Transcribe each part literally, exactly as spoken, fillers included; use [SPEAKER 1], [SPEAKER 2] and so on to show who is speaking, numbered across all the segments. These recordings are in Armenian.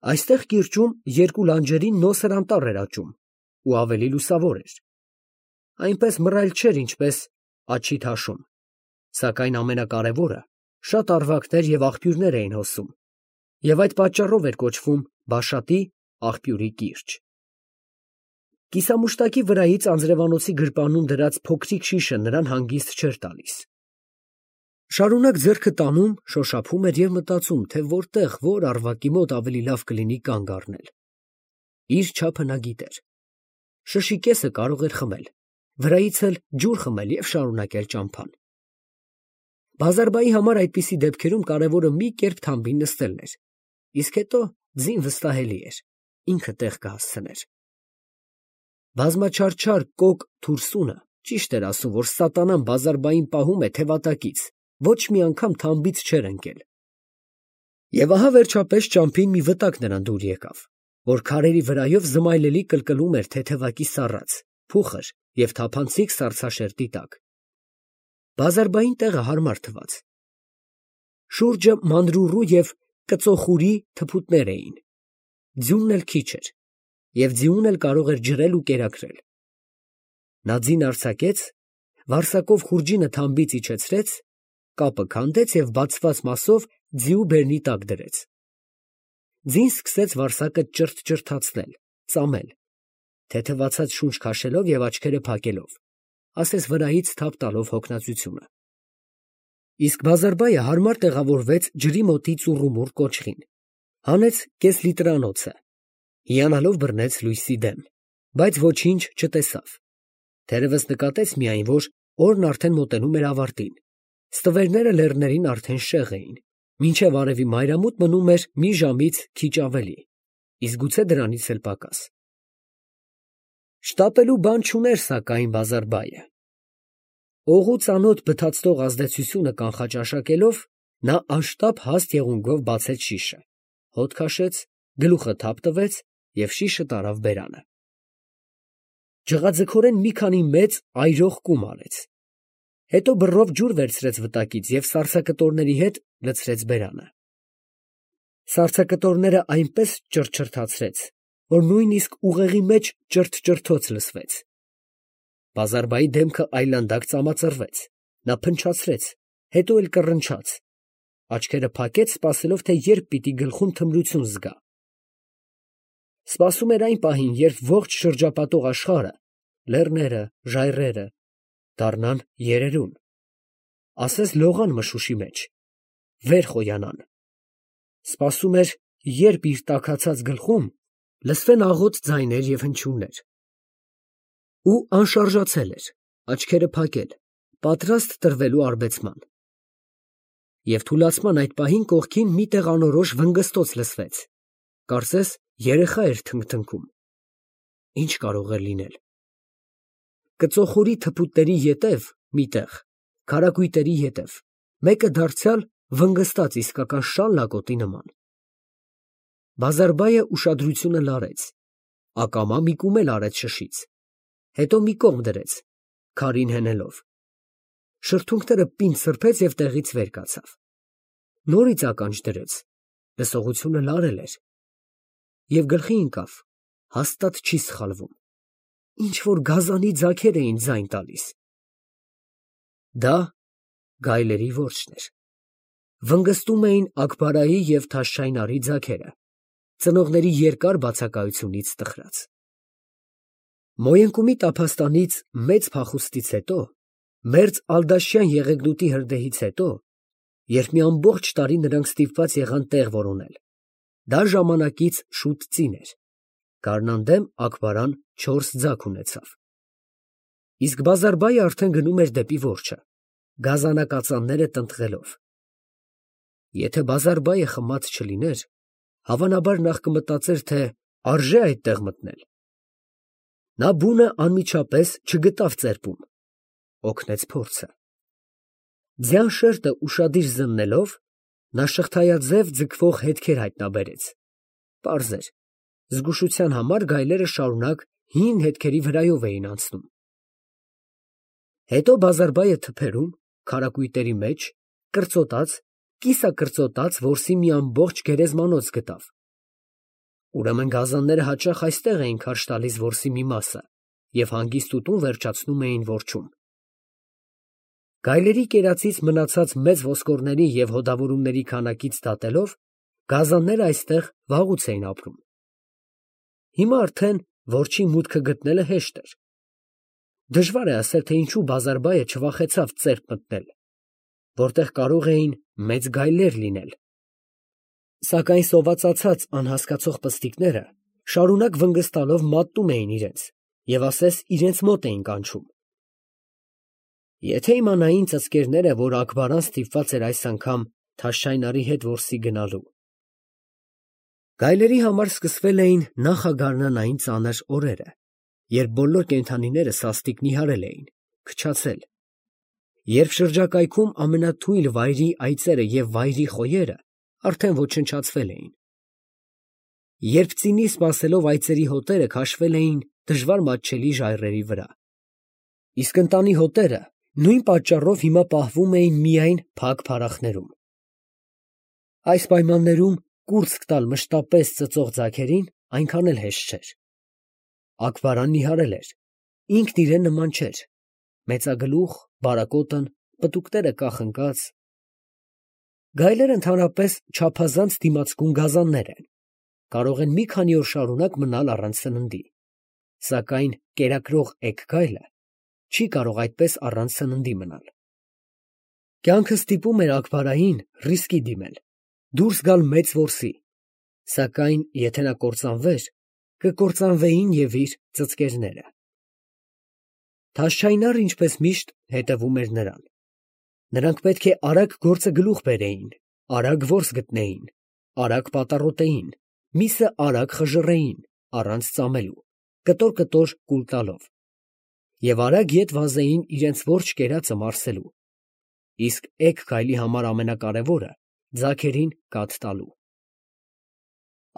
[SPEAKER 1] Այստեղ կիրճում երկու լանջերին նոսր անտառ էր աճում ու ավելի լուսավոր էր. այնպես մռայլ չէր, ինչպես Աջի թաշում, սակայն ամենակարևորը, շատ առվակներ և աղբյուրներ էին հոսում, և այդ պատճառով էր կոչվում Բաշատի աղբյուրի կիրճ։ Կիսամուշտակի վրայից անձրևանոցի գրպանում դրած փոքրիկ շիշը նրան հանգիստ չէր տալիս։ Շարունակ ձեռքը տանում, շոշափում էր և մտածում, թե որտեղ, որ առվակի մոտ ավելի լավ կլինի կանգ առնել։ Իր չափը նա գիտեր. շշի կեսը կարող էր խմել, վրայից էլ ջուր խմել և շարունակել ճամփան։ Բազարբայի համար այդպիսի դեպքերում կարևորը մի կերպ թամբին նստելն էր, իսկ հետո ձին վստահելի էր, ինքը տեղ կհասցներ։ Բազմաչարչար կոկ թուրսունը ճիշտ էր ասում, որ սատանան Բազարբային պահում է թևատակից, ոչ մի անգամ թամբից չէր ընկել։ Եվ ահա վերջապես ճամփին մի վտակ նրան դուր եկավ, որ քարերի վրայով զմայլելի կլկլում էր թեթևակի սառած, փուխր և թափանցիկ սառցաշերտի տակ։ Բազարբային տեղը հարմար թվաց։ Շուրջը մանրուռու և կծոխուրի թփուտներ էին, ձյունն էլ քիչ էր, և ձիուն էլ կարող էր ջրել ու կերակրել։ Նա ձին արձակեց, վարսակով խուրջինը թամբից իջեցրեց, կապը քանդեց և բացված մասով ձիու բերնի տակ դրեց։ Ձին սկսեց վարսակը ճրթճրթացնել, ծամել, թեթևացած շունչ քաշելով և աչքերը փակելով, ասես վրայից թափ տալով հոգնածությունը։ Իսկ Բազարբայը հարմար տեղավորվեց ջրի մոտի ծուռումուռ կոճղին, հանեց կես լիտրանոցը, հիանալով բռնեց լույսի դեմ, բայց ոչինչ չտեսավ, թերևս նկատեց միայն, որ օրն արդեն մոտենում էր ավարտին, ստվերները լեռներին արդեն շեղ էին, մինչև արևի մայրամուտ մնում էր մի ժամից քիչ ավելի, իսկ գուցե դրանից էլ պակաս։ Շտապելու բան չուներ սակայն Բազարբայը։ Օղու ծանոթ բթացնող ազդեցությունը կանխաճաշակելով, նա անշտապ հաստ եղունգով բացեց շիշը, հոտ քաշեց, գլուխը թափ տվեց և շիշը տարավ բերանը։ Ջղաձգորեն մի քանի մեծ այրող կում արեց, հետո բռով ջուր վերցրեց վտակից և սառցակտորների հետ լցրեց բերանը։ Սառցակտորները այնպես ճռճռթացրեց, որ նույնիսկ ուղեղի մեջ ճրթճրթոց լսվեց։ Բազարբայի դեմքը այլանդակ ծամածռվեց, նա փնչացրեց, հետո էլ կռնչաց, աչքերը փակեց, սպասելով, թե երբ պիտի գլխում թմրություն զգա։ Սպասում էր այն պահին, երբ ողջ շրջապատող աշխարհը, լեռները, ժայռերը դառնան երերուն, ասես լողան մշուշի մեջ, վեր խոյանան։ Սպասում էր, երբ իր տաքացած գլխում լսվեն աղոտ ձայներ և հնչյուններ։ Ու անշարժացել էր, աչքերը փակել, պատրաստ տրվելու արբեցման։ Եվ թուլացման այդ պահին կողքին մի տեղ անորոշ վնգստոց լսվեց, կարծես երեխա էր թնգթնգում։ Ի՞նչ կարող էր լինել։ Կծոխուրի թփուտների ետև մի տեղ, քարակույտերի ետև, մեկը դարձյալ վնգստաց իսկական շալ լակոտի նման։ Բազարբայը ուշադրությունը լարեց, ակամա մի կում էլ արեց շշից, հետո մի կողմ դրեց, քարին հենելով։ Շրթունքները պինդ սրբեց և տեղից վեր կացավ։ Նորից ականջ դրեց, լսողությունը լարել էր, և գլխի ընկավ, հաստատ չի սխալվում, ինչ֊որ գազանի ձագեր էին ձայն տալիս։ Դա գայլերի որջն էր։ Վնգստում էին Աքբարայի և Թաշչայնարի ձագերը, ծնողների երկար բացակայությունից տխրած։ Մոյընկումի տափաստանից մեծ փախուստից հետո, մերձ ալդաշյան եղեգնուտի հրդեհից հետո, երբ մի ամբողջ տարի նրանք ստիպված եղան տեղ որոնել, դա ժամանակից շուտ ծին էր, գարնան դեմ Աքբարան չորս ձագ ունեցավ։ Իսկ Բազարբայը արդեն գնում էր դեպի որջը, գազանակածանները տնտղելով։ Եթե Բազարբայը խմած չլիներ, հավանաբար նախ կմտածեր, թե արժե այդտեղ մտնել։ Նա բունը անմիջապես չգտավ ծերպում, օգնեց փորձը։ Ձյան շերտը ուշադիր զննելով, նա շղթայաձև ձգվող հետքեր հայտնաբերեց, պարզ էր, զգուշության համար գայլերը շարունակ հին հետքերի վրայով էին անցնում։ Հետո Բազարբայը թփերում, քարակույտերի մեջ, կրծոտած, կիսակրծոտած որսի մի ամբողջ գերեզմանոց գտավ, Ուրեմն գազանները հաճախ այստեղ էին քարշ տալիս որսի մի մասը և հանգիստ ուտում վերջացնում էին որջում։ Գայլերի կերածից մնացած մեծ ոսկորների և հոդավորումների քանակից դատելով, գազանները այստեղ վաղուց էին ապրում։ Հիմա արդեն որջի մուտքը գտնելը հեշտ էր։ Դժվար է ասել, թե ինչու բազարբայը չվախեցավ ծերտ մտնել, որտեղ կարող էին մեծ գայլեր լինել։ Սակայն սովածացած անհասկացող պստիկները շարունակ վնգստալով մատնում էին իրենց և ասես իրենց մոտ էին կանչում։ Եթե իմանային ծծկերները, որ Աքբարան ստիպված էր այս անգամ Թաշչայնարի հետ որսի գնալու։ Գայլերի համար սկսվել էին նախագարնանային ծանր օրերը, երբ բոլոր կենդանիները սաստիկ նիհարել էին, քչացել, երբ շրջակայքում ամենաթույլ վայրի այծերը և վայրի խոյերը արդեն ոչնչացվել էին, երբ ծինի սպասելով այծերի հոտերը քաշվել էին դժվար մատչելի ժայռերի վրա, իսկ ընտանի հոտերը նույն պատճառով հիմա պահվում էին միայն փակ փարախներում։ Այս պայմաններում կուրծք տալ մշտապես ծծող ձագերին այնքան էլ հեշտ չէր։ Աքբարան նիհարել էր, ինքն իրեն նման չէր, մեծագլուխ, բարակոտն, պտուկները կախնկած։ Գայլերը ընդհանրապես չափազանց դիմացկուն գազաններ են, կարող են մի քանի օր շարունակ մնալ առանց սննդի, սակայն կերակրող էգ գայլը չի կարող այդպես առանց սննդի մնալ։ Կյանքը ստիպում էր Աքբարային ռիսկի դիմել, դուրս գալ մեծ որսի, սակայն եթե նա կործանվեր, կկործանվեին և իր ծծկերները։ Թաշչայնարը, ինչպես միշտ, հետևում էր նրան։ Նրանք պետք է արագ գործը գլուխ բերեին, արագ որս գտնեին, արագ պատառոտեին, միսը արագ խժռեին, առանց ծամելու, կտոր-կտոր կուլ տալով, և արագ ետ վազեին իրենց որջ կերածը մարսելու, իսկ էգ գայլի համար ամենակարևորը ձագերին կաթ տալու։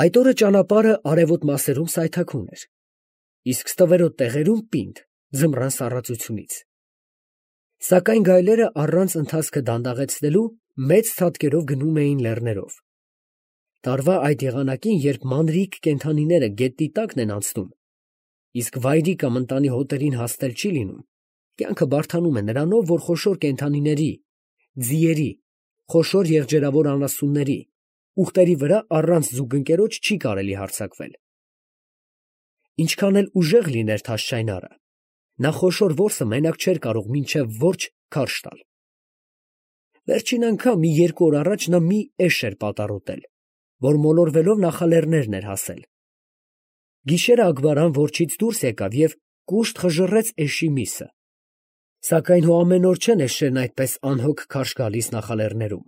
[SPEAKER 1] Այդ օրը ճանապարհը արևոտ մասերում սայթաքուն էր, իսկ ստվերոտ տեղերում պինդ, ձմռան սառածությունից։ Սակայն գայլերը առանց ընթացքը դանդաղեցնելու մեծ ցատկերով գնում էին լեռներով։ Տարվա այդ եղանակին, երբ մանրիկ կենդանիները գետնի տակն են անցնում, իսկ վայրի կամ ընտանի հոտերին հասնել չի լինում, կյանքը բարդանում է նրանով, որ խոշոր կենդանիների, ձիերի, խոշոր եղջերավոր անասունների, ուղտերի վրա առանց զուգընկերոջ չի կարելի հարձակվել։ Ինչքան էլ ուժեղ լիներ Թաշչայնարը, նա խոշոր որսը մենակ չէր կարող մինչև որջ քարշ տալ։ Վերջին անգամ մի երկու օր առաջ նա մի էշ էր պատառոտել, որ մոլորվելով նախալեռներն էր հասել։ Գիշերը Աքբարան որջից դուրս եկավ և կուշտ խժռեց էշի միսը։ Սակայն հո ամեն օր չեն էշերն այդպես անհոգ քարշ գալիս նախալեռներում,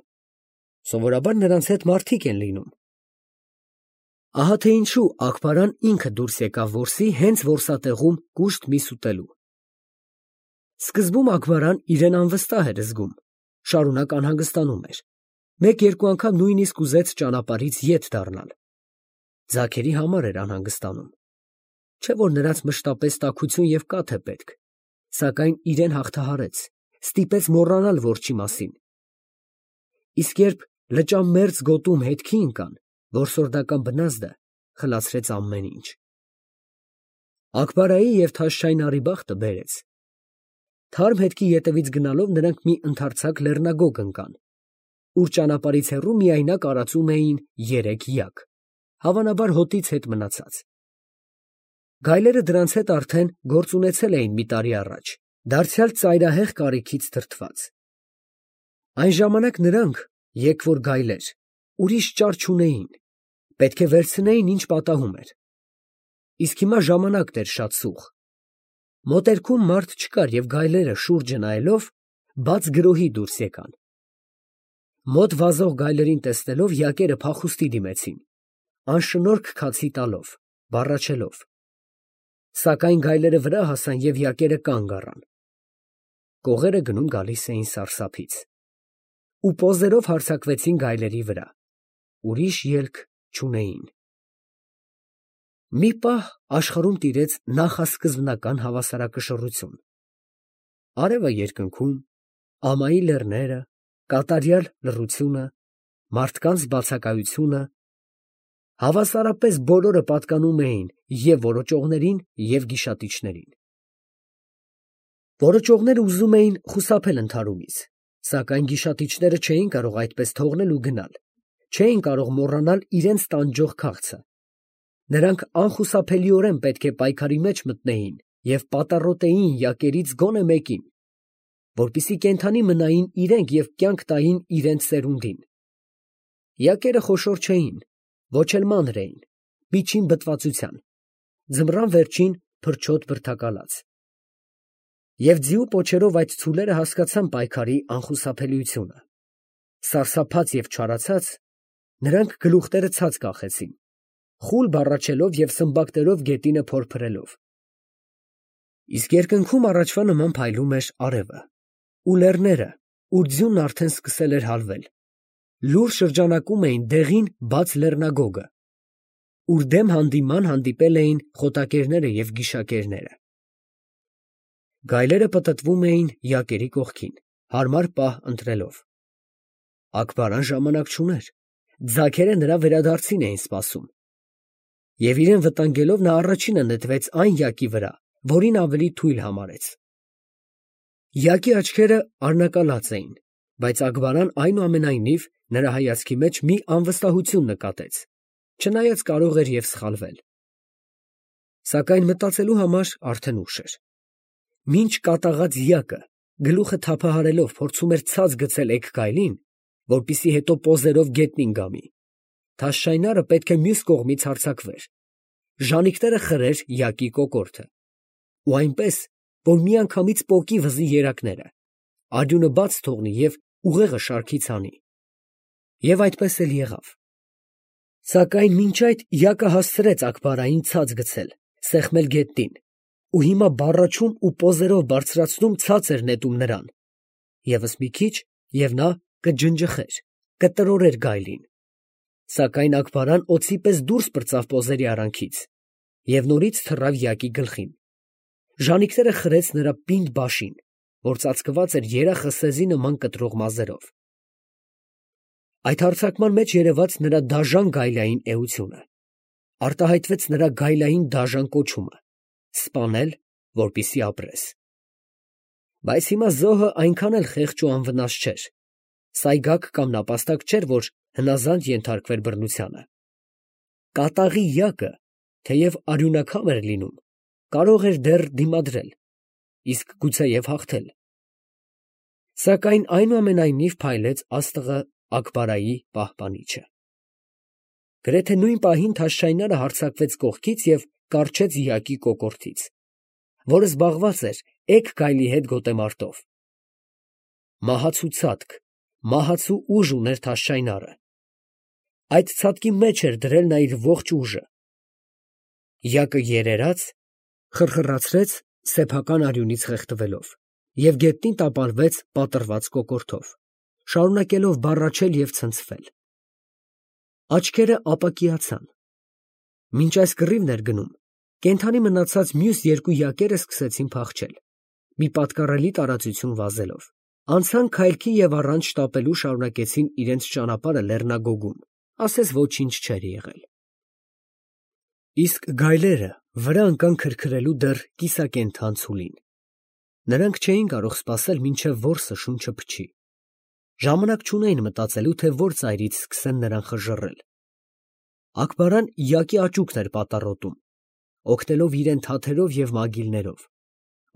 [SPEAKER 1] սովորաբար նրանց հետ մարդիկ են լինում։ Ահա թե ինչու Աքբարան ինքը դուրս եկավ որսի հենց որսատեղում կուշտ միս ուտելու։ Սկզբում Աքբարան իրեն անվստահ էր զգում, շարունակ անհանգստանում էր, մեկ֊երկու անգամ նույնիսկ ուզեց ճանապարհից ետ դառնալ։ Ձագերի համար էր անհանգստանում, չէ որ նրանց մշտապես տաքություն և կաթ է պետք, սակայն իրեն հաղթահարեց, ստիպեց մոռանալ որջի մասին։ Իսկ երբ լճամերձ գոտում հետքի ընկան, որսորդական բնազդը խլացրեց ամեն ինչ։ Աքբարայի և Թաշչայնարի բախտը բերեց։ Թարմ հետքի ետևից գնալով նրանք մի ընդարձակ լեռնագոգ ընկան, ուր ճանապարհից հեռու միայնակ արածում էին երեք յակ, հավանաբար հոտից հետ մնացած։ Գայլերը դրանց հետ արդեն գործ ունեցել էին մի տարի առաջ, դարձյալ ծայրահեղ կարիքից դրդված։ Այն ժամանակ նրանք, եկվոր գայլեր, ուրիշ ճար չունեին, պետք է վերցնեին, ինչ պատահում էր։ Իսկ հիմա ժամանակն էր շատ սուղ։ Մոտերքում մարդ չկար և գայլերը շուրջը նայելով բաց գրոհի դուրս եկան։ Մոտ վազող գայլերին տեսնելով յակերը փախուստի դիմեցին, անշնորհք քացի տալով, բառաչելով։ Սակայն գայլերը վրա հասան և յակերը կանգ առան։ Կողերը գնում գալիս էին սարսափից։ Ու պոզերով հարձակվեցին գայլերի վրա, ուրիշ ելք չունեին։ Մի պահ աշխարհում տիրեց նախասկզբնական հավասարակշռություն։ Արևը երկնքում, ամայի լեռները, կատարյալ լռությունը, մարդկանց բացակայությունը, Հավասարապես բոլորը պատկանում էին և որոճողներին, և գիշատիչներին։ Որոճողները ուզում էին խուսափել ընդհարումից, սակայն գիշատիչները չէին կարող այդպես թողնել ու գնալ, չէին կարող մոռանալ իրենց տանջող քաղցը։ Նրանք անխուսափելիորեն պետք է պայքարի մեջ մտնեին և պատառոտեին յակերից գոնե մեկին, որպեսզի կենդանի մնային իրենք և կյանք տային իրենց սերունդին։ Յակերը խոշոր չէին, ոչ էլ մանր էին, միջին բտվածության, ձմռան վերջին փրչոտ բրդակալած։ Եվ ձիու պոչերով այդ ցուլերը հասկացան պայքարի անխուսափելիությունը։ Սարսափած և չարացած, նրանք գլուխները ցած կախեցին, խուլ բառաչելով և սմբակներով գետինը փորփրելով։ Իսկ երկնքում առաջվա նման փայլում էր արևը, ու լեռները, ուր ձյունն արդեն սկսել էր հալվել, լուռ շրջանակում էին դեղին բաց լեռնագոգը, ուր դեմ հանդիման հանդիպել էին խոտակերները և գիշակերները։ Գայլերը պտտվում էին յակերի կողքին, հարմար պահ ընտրելով։ Ակբարան ժամանակ չուներ, ձագերը նրա վերադարձին էին սպասում։ Եվ իրեն վտանգելով նա առաջինը նետվեց այն յակի վրա, որին ավելի թույլ համարեց։ Յակի աչքերը արնակալած էին, բայց Ակբարան այնուամենայնիվ նրա հայացքի մեջ մի անվստահություն նկատեց, չնայած կարող էր և սխալվել։ Սակայն մտածելու համար արդեն ուշ էր։ Մինչ կատաղած յակը, գլուխը թափահարելով, փորձում էր ցած գցել էգ գայլին, որպեսզի հետո պոզերով գետնին գամի, թաշշայնարը պետք է մյուս կողմից հարձակվեր, ժանիքները խրեր յակի կոկորդը, ու այնպես, որ միանգամից պոկի վզի երակները, արյունը բաց թողնի և ուղեղը շարքից հանի։ Եվ այդպես էլ եղավ։ Սակայն մինչ այդ յակը հասցրեց Ակբարային ցած գցել, սեղմել գետնին, ու հիմա բառաչում ու պոզերով բարձրացնում ցած էր նետում նրան, ևս մի քիչ, և նա կջնջխեր, կտրորեր գայլին։ Սակայն Ակբարան օձի պես դուրս պրծավ պոզերի արանքից և նորից թռավ յակի գլխին, ժանիքները խրեց նրա պինդ բաշին, որ ծածկված էր երախը սեզի նման կտրող մազերով։ Այդ հարձակման մեջ երևաց նրա դաժան գայլային էությունը, արտահայտվեց նրա գայլային դաժան կոչումը՝ սպանել, որպեսզի ապրես։ Բայց հիմա զոհը այնքան էլ խեղճ ու անվնաս չէր, սայգակ կամ նապաստակ չէր, որ հնազանդ ենթարկվեր բռնությանը։ Կատաղի յակը, թեև արյունակամ էր լինում, կարող էր դեռ դիմադրել, իսկ գուցեև հաղթել։ Սակայն այնուամենայնիվ փայլեց աստղը Ակբարայի պահպանիչը։ Գրեթե նույն պահին թաշշայնարը հարձակվեց կողքից և կառչեց յակի կոկորդից, որը զբաղված էր էգ գայլի հետ գոտեմարտով։ Մահացու ցատկ, մահացու ուժ ուներ թաշշայնարը։ Այդ ցատկի մեջ էր դրել նա իր ողջ ուժը։ Յակը երերաց, խռխռացրեց սեփական արյունից խեղդվելով և գետնին տապալվեց պատռված կոկորդով, շարունակելով բառաչել և ցնցվել։ Աչքերը ապակիացան։ Մինչ այս կռիվն էր գնում, կենդանի մնացած մյուս երկու յակերը սկսեցին փախչել, մի պատկառելի տարածություն վազելով, անցան քայլքի և առանց շտապելու շարունակեցին իրենց ճանապարհը լեռնագոգում, ասես ոչինչ չէր եղել։ Իսկ գայլերը վրա ընկան քրքրելու դեռ կիսակենդան ցուլին։ Նրանք չէին կարող սպասել, մինչև որսը շունչը փչի։ Ժամանակ չունեին մտածելու, թե որ ծայրից սկսեն նրան խժռել։ Ակբարան յակի աճուկն էր պատառոտում, օգնելով իրեն թաթերով և մագիլներով,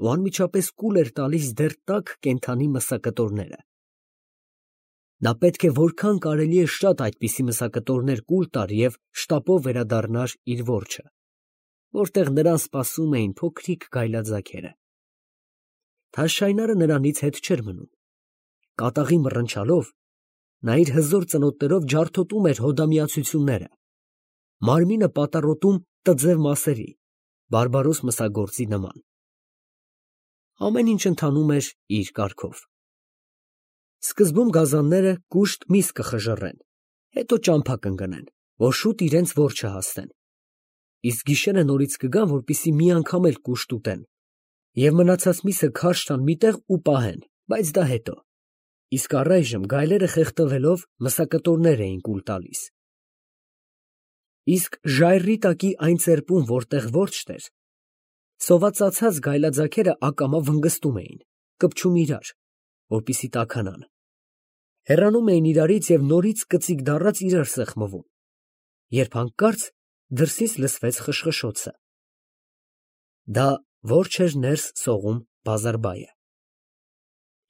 [SPEAKER 1] ու անմիջապես կուլ էր տալիս դեռ տաք կենդանի մսակտորները։ Նա պետք է որքան կարելի է շատ այդպիսի մսակտորներ կուլ տար և շտապով վերադառնար իր որջը, որտեղ նրան սպասում էին փոքրիկ գայլաձագերը։ Թաշշայնարը նրանից հետ չէր մնում։ Կատաղի մռնչալով նա իր հզոր ծնոտներով ջարդոտում էր հոդամիացությունները, մարմինը պատառոտում տձև մասերի, բարբարոս մսագործի նման։ Ամեն ինչ ընթանում էր իր կարգով։ Սկզբում գազանները կուշտ միս կխժռեն, հետո ճամփա կընկնեն, որ շուտ իրենց որջը հասնեն, իսկ գիշերը նորից կգան, որպեսզի մի անգամ էլ կուշտ ուտեն, և մնացած միսը քարշ տան մի տեղ ու պահեն, բայց դա հետո, իսկ առայժմ գայլերը խեղդվելով մսակտորներ էին կուլ տալիս։ Իսկ ժայռի տակի այն ծերպում, որտեղ որջն էր, սովածացած գայլաձագերը ակամա վնգստում էին, կպչում իրար, որպեսզի տաքանան, հեռանում էին իրարից և նորից կծիկ դառած իրար սեղմում, երբ հանկարծ դրսից լսվեց խշխշոցը. դա որջ էր ներս սողում բազարբայը։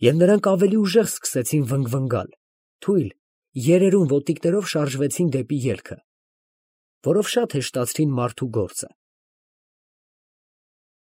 [SPEAKER 1] Եվ նրանք ավելի ուժեղ սկսեցին վնգվնգալ, թույլ, երերուն ոտիկներով շարժվեցին դեպի ելքը, որով շատ հեշտացրին մարդու գործը։